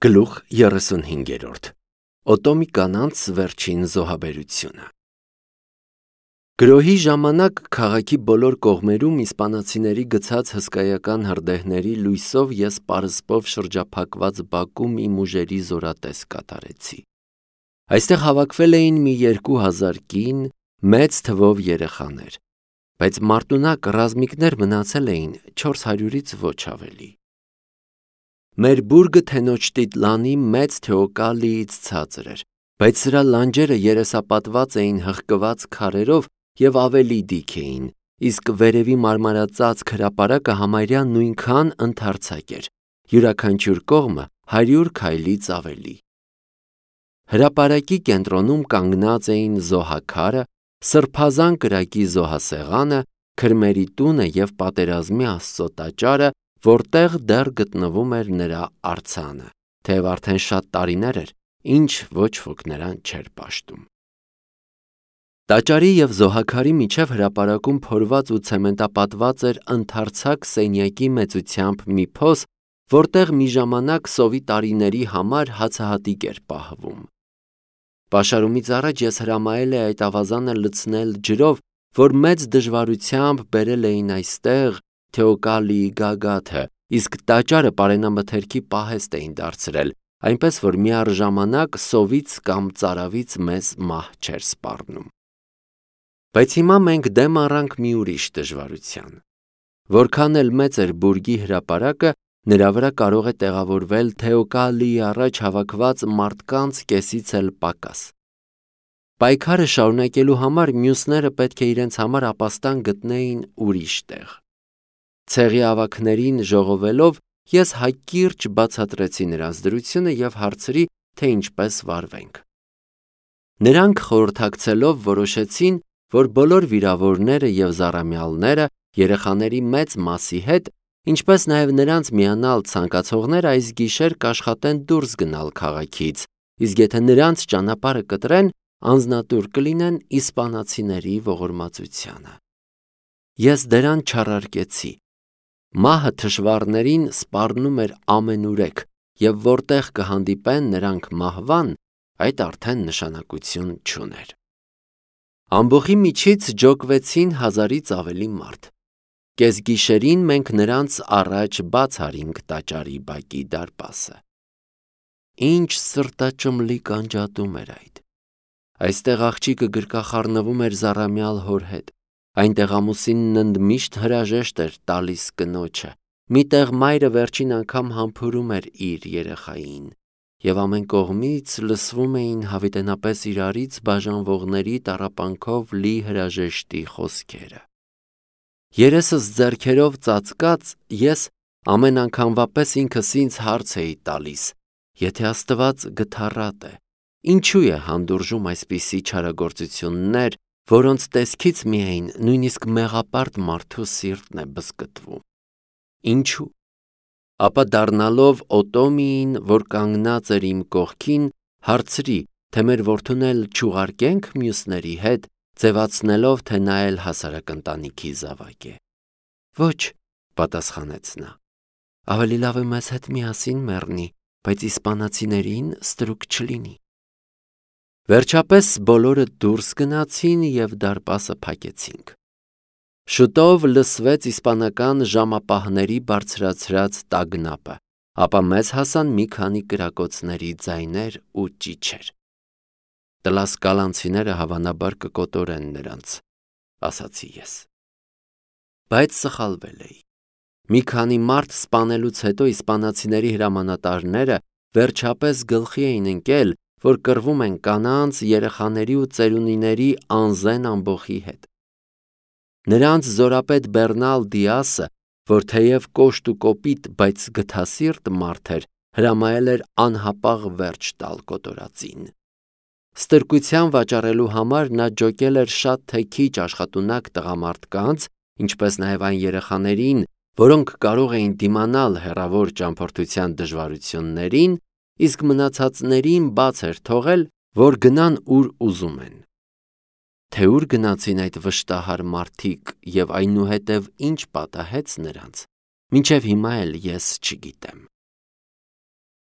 Գլուխ 35 Օտոմի կանանց վերջին զոհաբերությունը։ Գրոհի ժամանակ քաղաքի բոլոր կողմերում իսպանացիների գցած հսկայական հրդեհների լույսով ես պարսպով շրջափակված բակում իմ ուժերի զորատես կատարեցի։ Այստեղ հավաքվել էին մի 2000 կին, մեծ թվով երեխաներ, բայց մարտունակ ռազմիկներ մնացել էին 400-ից ոչ ավելի։ Մեր բուրգը Թենոչ Տիտլանի մեծ Թեոկալիից ցածր էր, բայց սրա լանջերը երեսապատված էին հղկված քարերով և ավելի դիք էին, իսկ վերևի մարմարածածկ հրապարակը համարյա նույնքան ընդարձակ էր, յուրաքանչյուր կողմը 100 քայլից ավելի։ Հրապարակի կենտրոնում կանգնած էին զոհաքարը, սրբազան կրակի զոհասեղանը, քրմերի տունը և պատերազմի Աստծո տաճարը, որտեղ դեռ գտնվում էր նրա արձանը, թեև արդեն շատ տարիներ էր, ինչ ոչ ոք նրան չէր պաշտում։ Տաճարի և զոհաքարի միջև հրապարակում փորված ու ցեմենտապատված էր ընդարձակ սենյակի մեծությամբ մի փոս, որտեղ մի ժամանակ սովի տարիների համար հացահատիկ էր պահվում։ Պաշարումից առաջ ես հրամայել էի այդ ավազանը լցնել ջրով, որ մեծ դժվարությամբ բերել էին այստեղ Թեոկալիի գագաթը, իսկ տաճարը պարենամթերքի պահեստ էին դարձրել, այնպես որ միառժամանակ սովից կամ ծարավից մեզ մահ չէր սպառնում։ Բայց հիմա մենք դեմ առանք մի ուրիշ դժվարության։ Որքան էլ մեծ էր բուրգի հրապարակը, նրա վրա կարող է տեղավորվել Թեոկալիի առաջ հավաքված մարդկանց կեսից էլ պակաս։ Պայքարը շարունակելու համար մյուսները պետք է իրենց համար ապաստան գտնեին ուրիշ տեղ։ Ցեղի ավագներին ժողովելով ես հակիրճ բացատրեցի նրանց դրությունը և հարցրի, թե ինչպես վարվենք։ Նրանք խորհրդակցելով որոշեցին, որ բոլոր վիրավորները և զառամյալները երեխաների մեծ մասի հետ, ինչպես նաև նրանց միանալ ցանկացողները այս գիշեր կաշխատեն դուրս գնալ քաղաքից, իսկ եթե նրանց ճանապարհը կտրեն, անձնատուր կլինեն իսպանացիների ողորմածությանը։ Ես դրան չառարկեցի։ Մահը թշվառներին սպառնում էր ամենուրեք, և որտեղ կհանդիպեն նրանք մահվան, այդ արդեն նշանակություն չուներ։ Ամբոխի միջից ջոկվեցին 1000-ից ավելի մարդ։ Կեսգիշերին մենք նրանց առաջ բաց արինք տաճարի բակի դարպասը։ Ինչ սրտաճմլիկ անջատում էր այդ։ Այստեղ աղջիկը գրկախառնվում էր զառամյալ հոր հետ, այնտեղ ամուսինն ընդմիշտ հրաժեշտ էր տալիս կնոջը, միտեղ մայրը վերջին անգամ համբուրում էր իր երեխային, և ամեն կողմից լսվում էին հավիտենապես իրարից բաժանվողների տառապանքով լի հրաժեշտի խոսքերը։ Երեսս ձեռքերով ծածկած, ես ամեն անգամվա պես ինքս ինձ հարց էի տալիս. եթե Աստված գթառատ է, ինչու է հանդուրժում այսպիսի չարագործություններ, որոնց տեսքից միայն նույնիսկ մեղապարտ մարդու սիրտն է բզկտվում։ Ինչու՞։ Ապա դառնալով Օտոմիին, որ կանգնած էր իմ կողքին, հարցրի, թե մեր որդուն էլ չուղարկենք մյուսների հետ, ձևացնելով, թե նա էլ հասարակ ընտանիքի զավակ է։ Ոչ, պատասխանեց նա, ավելի լավ է մեզ հետ միասին մեռնի, բայց իսպանացիներին ստրուկ չլինի։ Վերջապես բոլորը դուրս գնացին և դարպասը փակեցինք։ Շուտով լսվեց իսպանական ժամապահների բարձրացրած տագնապը, ապա մեզ հասան մի քանի կրակոցների ձայներ ու ճիչեր։ Տլասկալանցիները հավանաբար կկոտորեն նրանց, ասացի ես։ Բայց սխալվել էի։ Մի քանի մարդ սպանելուց հետո իսպանացիների հրամանատարները վերջապես գլխի էին ընկել, որ կռվում են կանանց, երեխաների ու ծերունիների անզեն ամբոխի հետ։ Նրանց զորապետ Բեռնալ Դիասը, որ թեև կոշտ ու կոպիտ, բայց գթասիրտ մարդ էր, հրամայել էր անհապաղ վերջ տալ կոտորածին։ Ստրկության վաճառելու համար նա ջոկել էր շատ թե քիչ աշխատունակ տղամարդկանց, ինչպես նաև այն երեխաներին, որոնք կարող էին դիմանալ հեռավոր ճամփորդության դժվարություններին, իսկ մնացածներին բաց էր թողել, որ գնան ուր ուզում են։ Թե ուր գնացին այդ վշտահար մարդիկ և այնուհետև ինչ պատահեց նրանց, մինչև հիմա էլ ես չգիտեմ։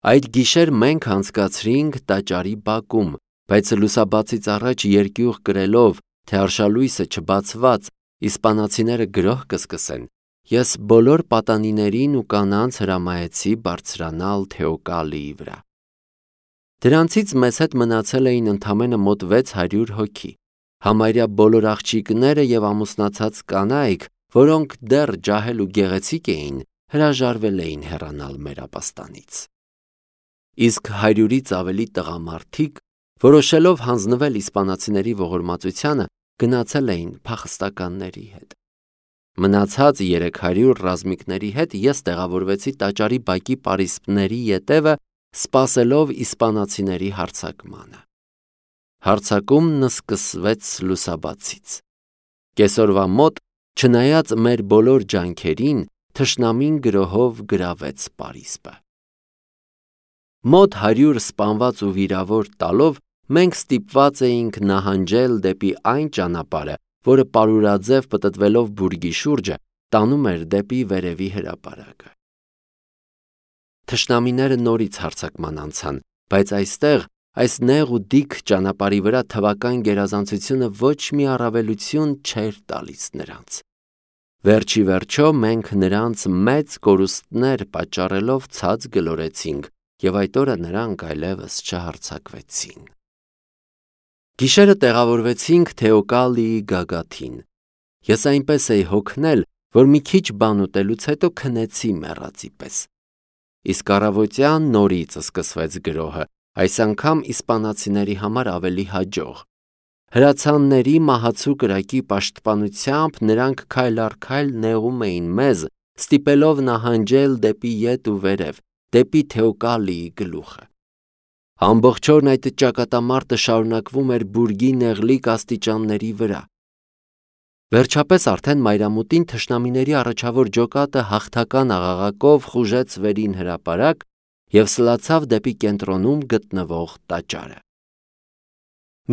Այդ գիշեր մենք անցկացրինք տաճարի բակում, բայց լուսաբացից առաջ երկյուղ կրելով, թե արշալույսը չբացված, իսպանացիները գրոհ կսկսեն, ես բոլոր պատանիներին ու կանանց հրամայեցի բարձրանալ Թեոկալիի վրա։ Դրանցից մեզ հետ մնացել էին ընդամենը մոտ 600 հոգի, համարյա բոլոր աղջիկները և ամուսնացած կանայք, որոնք դեռ ջահել ու գեղեցիկ էին, հրաժարվել էին հեռանալ մեր ապաստանից։ Իսկ 100-ից ավելի տղամարդիկ, որոշելով հանձնվել իսպանացիների ողորմածությանը, գնացել էին փախստականների հետ։ Մնացած 300 ռազմիկների հետ ես տեղավորվեցի տաճարի բակի պարիսպների ետևը, սպասելով իսպանացիների հարձակմանը։ Հարձակումն սկսվեց լուսաբացից։ Կեսօրվա մոտ, չնայած մեր բոլոր ջանքերին, թշնամին գրոհով գրավեց պարիսպը։ Մոտ 100 սպանված ու վիրավոր տալով, մենք ստիպված էինք նահանջել դեպի այն ճանապարհը, որը պարուրաձև պտտվելով բուրգի շուրջը, տանում էր դեպի վերևի հրապարակը։ Թշնամիները նորից հարձակման անցան, բայց այստեղ, այս նեղ ու դիք ճանապարհի վրա թվական գերազանցությունը ոչ մի առավելություն չէր տալիս նրանց։ Վերջի վերջո մենք նրանց մեծ կորուստներ պատճառելով ցած գլորեցինք, և այդ օրը նրանք այլևս չհարձակվեցին։ Գիշերը տեղավորվեցինք Թեոկալիի գագաթին։ Ես այնպես էի հոգնել, որ մի քիչ բան ուտելուց հետո քնեցի մեռածի պես։ Իսկ առավոտյան նորից սկսվեց գրոհը, այս անգամ իսպանացիների համար ավելի հաջող։ Հրացանների մահացու կրակի պաշտպանությամբ նրանք քայլ առ քայլ նեղում էին մեզ, ստիպելով նահանջել դեպի ետ ու վերև, դեպի Թեոկալիի գլուխը։ Ամբողջ օրն այդ ճակատամարտը շարունակվում էր բուրգի նեղլիկ աստիճանների վրա։ Վերջապես արդեն մայրամուտին թշնամիների առաջավոր ջոկատը հաղթական աղաղակով խուժեց վերին հրապարակ և սլացավ դեպի կենտրոնում գտնվող տաճարը։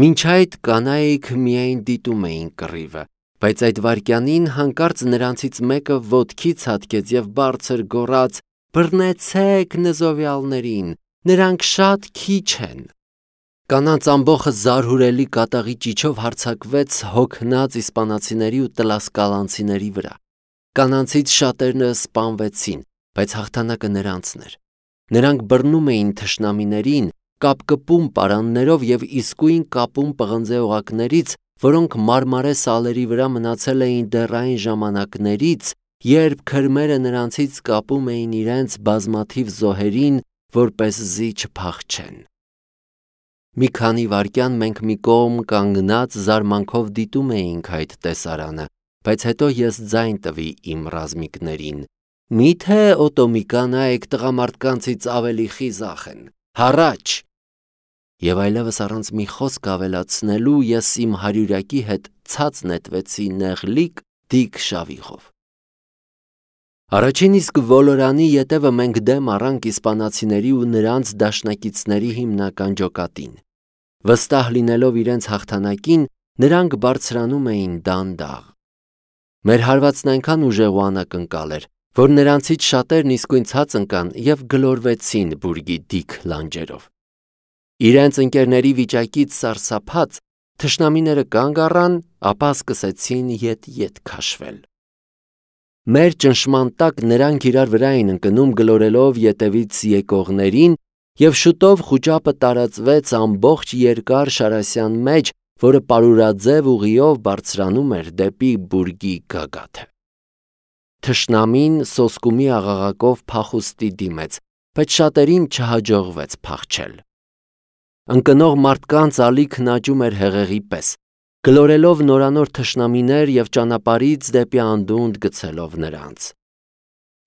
Մինչ այդ կանայք միայն դիտում էին կռիվը, բայց այդ վայրկյանին հանկարծ նրանցից մեկը ոտքի ցատկեց և բարձր գոռաց. «Բռնեցեք նզովյալներին, նրանք շատ քիչ են»։ Կանանց ամբոխը զարհուրելի կատաղի ճիչով հարձակվեց հոգնած իսպանացիների ու տլասկալանցիների վրա։ Կանանցից շատերը սպանվեցին, բայց հաղթանակը նրանցն էր։ Նրանք բռնում էին թշնամիներին, կապկպում պարաններով և իսկույն կապում պղնձե օղակներից, որոնք մարմարե սալերի վրա մնացել էին դեռ այն ժամանակներից, երբ քրմերը նրանցից կապում էին իրենց բազմաթիվ զոհերին, որպեսզի չփախչեն։ Մի քանի վայրկյան մենք մի կողմ կանգնած զարմանքով դիտում էինք այդ տեսարանը, բայց հետո ես ձայն տվի իմ ռազմիկներին. «Մի՞թե օտոմի կանայք տղամարդկանցից ավելի խիզախ են, հառաչ»։ Եվ այլևս առանց մի խոսք ավելացնելու ես իմ հարյուրյակի հետ ցած նետվեցի նեղլիկ դիք շավիղով։ Առաջին իսկ ոլորանի ետևը մենք դեմ առանք իսպանացիների ու նրանց դաշնակիցների հիմնական ջոկատին։ Վստահ լինելով իրենց հաղթանակին, նրանք բարձրանում էին դանդաղ։ Մեր հարվածն այնքան ուժեղ ու անակնկալ էր, որ նրանցից շատերն իսկույն ցած ընկան և գլորվեցին բուրգի դիք լանջերով։ Իրենց ընկերների վիճակից սարսափած, թշնամիները կանգ առան, ապա սկսեցին ետ-ետ քաշվել։ Մեր ճնշման տակ նրանք իրար վրա էին ընկնում գլորելով ետևից եկողներին, և շուտով խուճապը տարածվեց ամբողջ երկար շարասյան մեջ, որը պարուրաձև ուղիով բարձրանում էր դեպի բուրգի գագաթը։ Թշնամին սոսկումի աղաղակով փախուստի դիմեց, բայց շատերին չհաջողվեց փախչել։ Ընկնող մարդկանց ալիքն աճում էր հեղեղի պես, գլորելով նորանոր թշնամիներ և ճանապարհից դեպի անդունդ գցելով նրանց։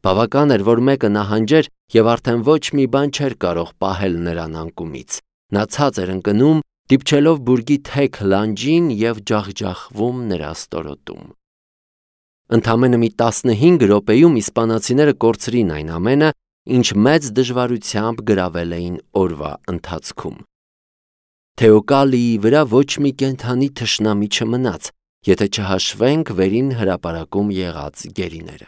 Բավական էր, որ մեկը նահանջեր, և արդեն ոչ մի բան չէր կարող պահել նրան անկումից։ Նա ցած էր ընկնում, դիպչելով բուրգի թեք լանջին և ջախջախվում նրա ստորոտում։ Ընդամենը մի 15 րոպեում իսպանացիները կորցրին այն ամենը, ինչ մեծ դժվարությամբ գրավել էին օրվա ընթացքում։ Թեոկալիի վրա ոչ մի կենդանի թշնամի չմնաց, եթե չհաշվենք վերին հրապարակում եղած գերիները։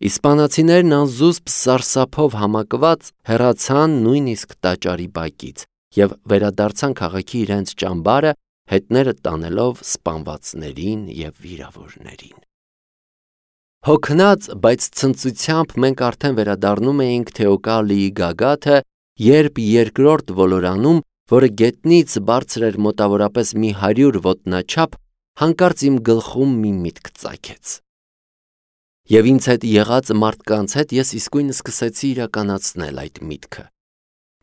Իսպանացիներն անզուսպ սարսափով համակված հեռացան նույնիսկ տաճարի բակից և վերադարձան քաղաքի իրենց ճամբարը, հետները տանելով սպանվածներին և վիրավորներին։ Հոգնած, բայց ցնծությամբ մենք արդեն վերադառնում էինք Թեոկալիի գագաթը, երբ երկրորդ ոլորանում, որը գետնից բարձր էր մոտավորապես մի 100 ոտնաչափ, հանկարծ իմ գլխում մի միտք ծագեց։ Եվ ինձ հետ եղած մարդկանց հետ ես իսկույն սկսեցի իրականացնել այդ միտքը։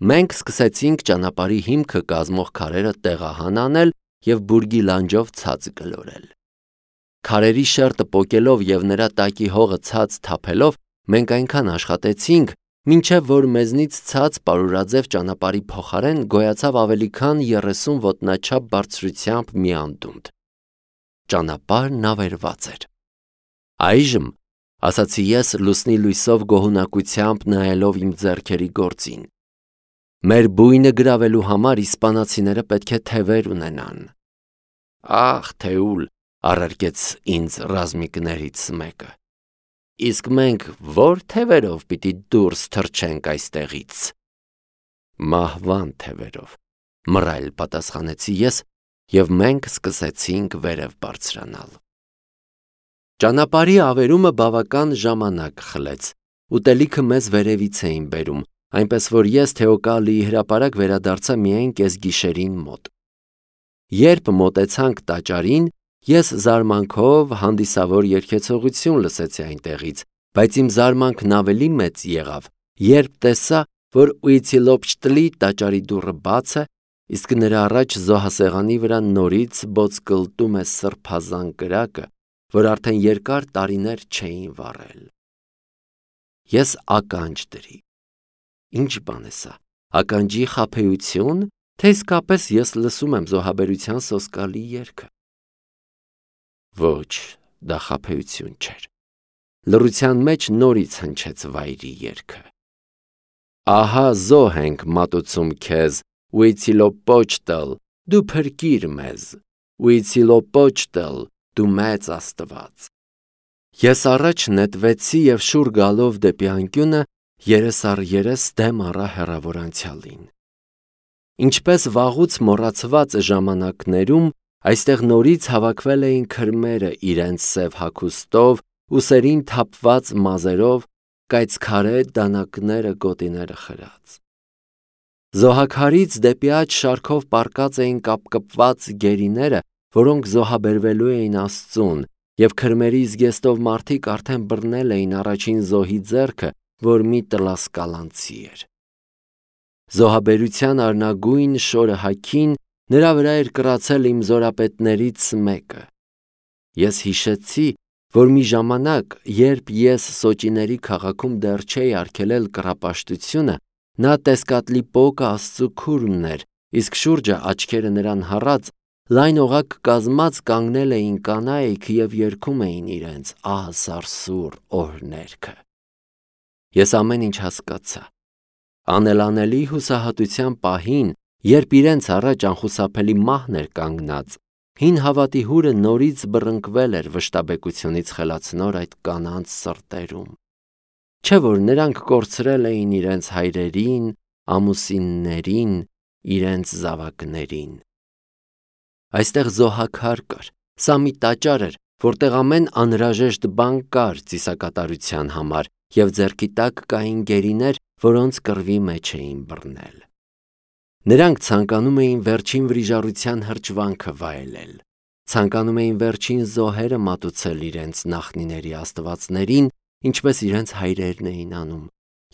Մենք սկսեցինք ճանապարհի հիմքը կազմող քարերը տեղահան անել և բուրգի լանջով ցած գլորել։ Քարերի շերտը պոկելով և նրա տակի հողը ցած թափելով, մենք այնքան աշխատեցինք, մինչև որ մեզնից ցած պարուրաձև ճանապարհի փոխարեն գոյացավ ավելի քան 30 ոտնաչափ բարձրությամբ մի անդունդ։ Ճանապարհն ավերված էր։ Այժմ, ասացի ես լուսնի լույսով գոհունակությամբ նայելով իմ ձեռքերի գործին, մեր բույնը գրավելու համար իսպանացիները պետք է թևեր ունենան։ Ախ, Թեուլ, առարկեց ինձ ռազմիկներից մեկը, իսկ մենք ո՞ր թևերով պիտի դուրս թռչենք այստեղից։ Մահվան թևերով, մռայլ պատասխանեցի ես, և մենք սկսեցինք վերև բարձրանալ։ Ճանապարհի ավերումը բավական ժամանակ խլեց, ուտելիքը մեզ վերևից էին բերում, այնպես որ ես Թեոկալիի հրապարակ վերադարձա միայն կեսգիշերին մոտ։ Երբ մոտեցանք տաճարին, ես զարմանքով հանդիսավոր երգեցողություն լսեցի այնտեղից, բայց իմ զարմանքն ավելի մեծ եղավ, երբ տեսա, որ Ուիթիլոպչտլի տաճարի դուռը բաց է, իսկ նրա առաջ զոհասեղանի վրա նորից ոտկլտում է սրբազան կրակը, որ արդեն երկար տարիներ չէին վառել։ Ես ականջ դրի։ Ինչ բան է սա, ականջի խաբեություն, թե իսկապես ես լսում եմ զոհաբերության սոսկալի երգը։ Ոչ, դա խաբեություն չէր։ Լռության մեջ նորից հնչեց վայրի երգը։ Ահա զոհ ենք մատուցում քեզ, Ուիթիլոպոչտլ, դու փրկիր մեզ, Ուիթիլոպոչտլ, դու մեծ Աստված։ Ես առաջ նետվեցի և շուռ գալով դեպի անկյունը, երես առ երես դեմ առա հեռավոր անցյալին։ Ինչպես վաղուց մոռացված ժամանակներում, այստեղ նորից հավաքվել էին քրմերը իրենց սև հագուստով, ուսերին թափված մազերով, կայծքարե դանակները գոտիները խրած։ Զոհաքարից դեպի աջ շարքով պառկած էին կապկպված գերիները, որոնք զոհաբերվելու էին Աստծուն, և քրմերի զգեստով մարդիկ արդեն բռնել էին առաջին զոհի ձեռքը, որ մի տլասկալանցի էր։ Զոհաբերության արնագույն շորը հագին նրա վրա էր կռացել իմ զորապետներից մեկը։ Ես հիշեցի, որ մի ժամանակ, երբ ես Սոճիների քաղաքում դեռ չէի արգելել կռապաշտությունը, նա Տեսկատլիպոկը Աստծու քուրմն էր, իսկ շուրջը աչքերը նրան հառած, լայն օղակ կազմած կանգնել էին կանայք և երգում էին իրենց ահասարսուռ օրհներգը։ Ես ամեն ինչ հասկացա։ Անելանելի հուսահատության պահին, երբ իրենց առաջ անխուսափելի մահն էր կանգնած, հին հավատի հուրը նորից բռնկվել էր վշտաբեկությունից խելացնոր այդ կանանց սրտերում։ Չէ՞ որ նրանք կորցրել էին իրենց հայրերին, ամուսիններին, իրենց զավակներին։ Այստեղ զոհաքար կար, սա մի տաճար էր, որտեղ ամեն անհրաժեշտ բան կար ծիսակատարության համար, և ձեռքի տակ կային գերիներ, որոնց կռվի մեջ էին բռնել։ Նրանք ցանկանում էին վերջին վրիժառության հրճվանքը վայելել, ցանկանում էին վերջին զոհերը մատուցել իրենց նախնիների աստվածներին, ինչպես իրենց հայրերն էին անում,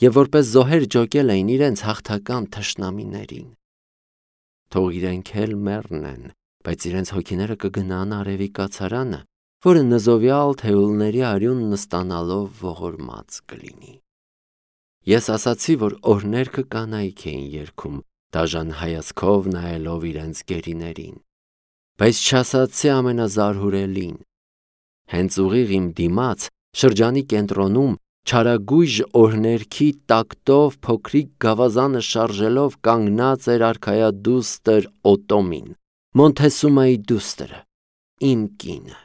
և որպես զոհեր ջոկել էին իրենց հաղթական թշնամիներին։ Թող իրենք էլ մեռնեն, բայց իրենց հոգիները կգնան արևի կացարանը, որը նզովյալ թեուլների արյունն ստանալով ողորմած կլինի։ Ես ասացի, որ օրհներգը կանայք էին երգում, դաժան հայացքով նայելով իրենց գերիներին, բայց չասացի ամենազարհուրելին։ Հենց ուղիղ իմ դիմաց, շրջանի կենտրոնում, չարագույժ օրհներգի տակտով փոքրիկ գավազանը շարժելով կանգնած էր արքայադուստր Օտոմին, Մոնթեսումայի դուստրը, իմ կինը։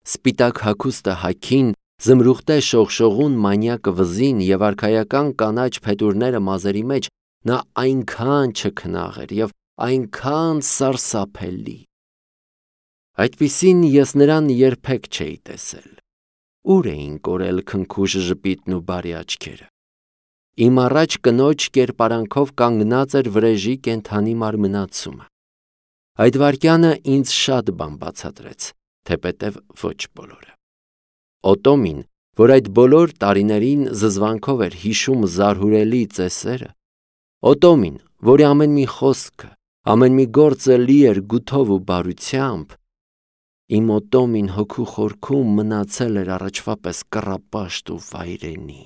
Սպիտակ հագուստը հագին, զմրուխտե շողշողուն մանյակ վզին և արքայական կանաչ փետուրները մազերի մեջ, նա այնքան չքնաղ էր և այնքան սարսափելի։ Այդպիսին ես նրան երբեք չէի տեսել։ Ուր էին կորել քնքուշ ժպիտն ու բարի աչքերը։ Իմ առաջ կնոջ կերպարանքով կանգնած էր վրեժի կենդանի մարմնացումը։ Այդ վայրկյանը ինձ շատ բան բացատրեց, թեպետև ոչ բոլորը։ Օտոմին, որ այդ բոլոր տարիներին զզվանքով էր հիշում զարհուրելի ծեսերը, Օտոմին, որի ամեն մի խոսքը, ամեն մի գործը լի էր գութով ու բարությամբ, իմ Օտոմին հոգու խորքում մնացել էր առաջվա պես կռապաշտ ու վայրենի։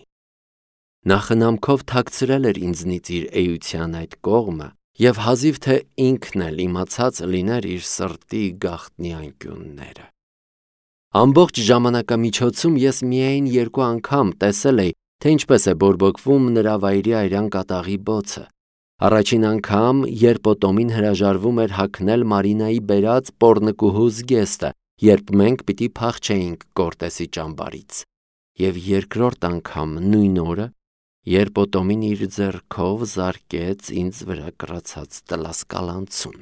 Նա խնամքով թաքցրել էր ինձնից իր էության այդ կողմը և հազիվ թե ինքն էլ իմացած լիներ իր սրտի գաղտնի անկյունները։ Ամբողջ ժամանակամիջոցում ես միայն 2 անգամ տեսել էի, թե ինչպես է բորբոքվում նրա վայրի այրան կատաղի բոցը։ Առաջին անգամ, երբ Օտոմին հրաժարվում էր հագնել Մարինայի բերած պոռնկուհու զգեստը, երբ մենք պիտի փախչեինք Կորտեսի ճամբարից, և երկրորդ անգամ նույն օրը, երբ Օտոմին իր ձեռքով զարկեց ինձ վրա կռացած տլասկալանցուն։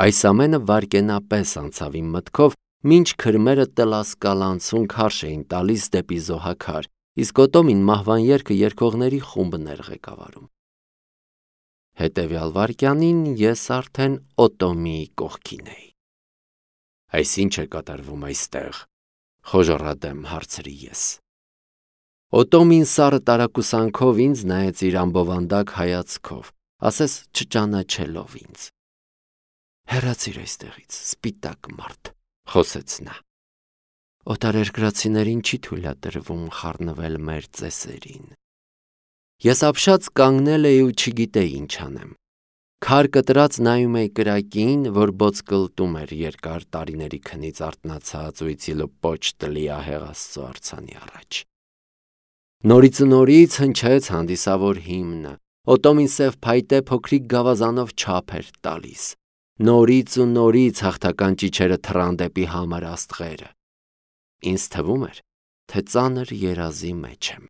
Այս ամենը վայրկենապես անցավ իմ մտքով, մինչ քրմերը տլասկալանցուն քարշ էին տալիս դեպի զոհաքար, իսկ Օտոմին մահվան երգը երգողների խումբն էր ղեկավարում։ Հետևյալ վայրկյանին ես արդեն Օտոմիի կողքին էի։ «Այս ի՞նչ է կատարվում այստեղ», խոժոռադեմ հարցրի ես։ Օտոմին սառը տարակուսանքով ինձ նայեց իր ամբովանդակ հայացքով, ասես չճանաչելով ինձ։ «Հեռացիր այստեղից, սպիտակ մարդ», խոսեց նա։ «Օտարերկրացիներին չի թույլատրվում խառնվել մեր ծեսերին»։ Ես ապշած կանգնել էի ու չգիտեի ինչ անեմ։ Քար կտրած նայում էի կրակին, որ բոցկլտում էր երկար տարիների քնից արթնացած ու իցիլոպոչ տնլիահեղ Աստծո արձանի առաջ։ Նորից ու նորից հնչեց հանդիսավոր հիմնը, Օտոմին սև փայտե փոքրիկ գավազանով չափ էր տալիս։ Նորից ու նորից հաղթական ճիչերը թռան դեպի համր աստղերը։ Ինձ թվում էր, թե ծանր երազի մեջ եմ։